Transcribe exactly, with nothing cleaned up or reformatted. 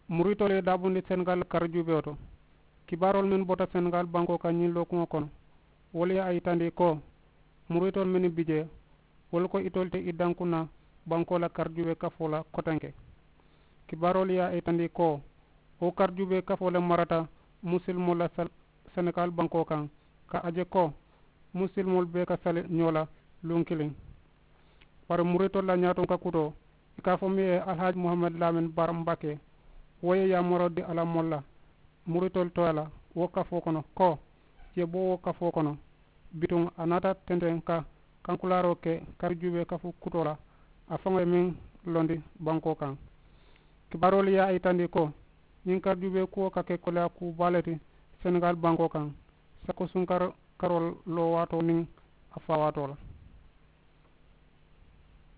Muritoolu ye daabundi senegaali karijuubee to. Kibaaroolu mennu bota senegaali bankoo kaŋ ñiŋ lookuŋo kono, wolu ye a yitandi ko muritoolu mennu bi jee, wolu ko itolu te i dankunna bankoo la karijuubee kafoo la kotenke. Kibaaroolu ye a yitandi ko wo karijuubee kafoo le marata musilimoolu la senegaali bankoo kaŋ, ka a je ko musilimoolu bee ka sali ñoo la luŋ kiliŋ. Bari muritoolu la ñaatonka kutoo, i ka a fo miŋ ye alihaaji muhamadi laamin baara mbake, wo ye yaamaroo di a la moolu la muritoolu tooyaa la wo kafoo kono ko i ye bo wo kafoo kono. Bituŋ a naata tenteŋ ka kankulaaroo ke karijuubee kafu kutoo la, a faŋo ye meŋ londi bankoo kaŋ. Kibaaroolu ye a yitandi ko ñiŋ karijuubee kuwo ka ke koleyaa kuu baa le ti senegaali bankoo kaŋ. Sako sunkaroo loo waatoo niŋ a faa waatoo la.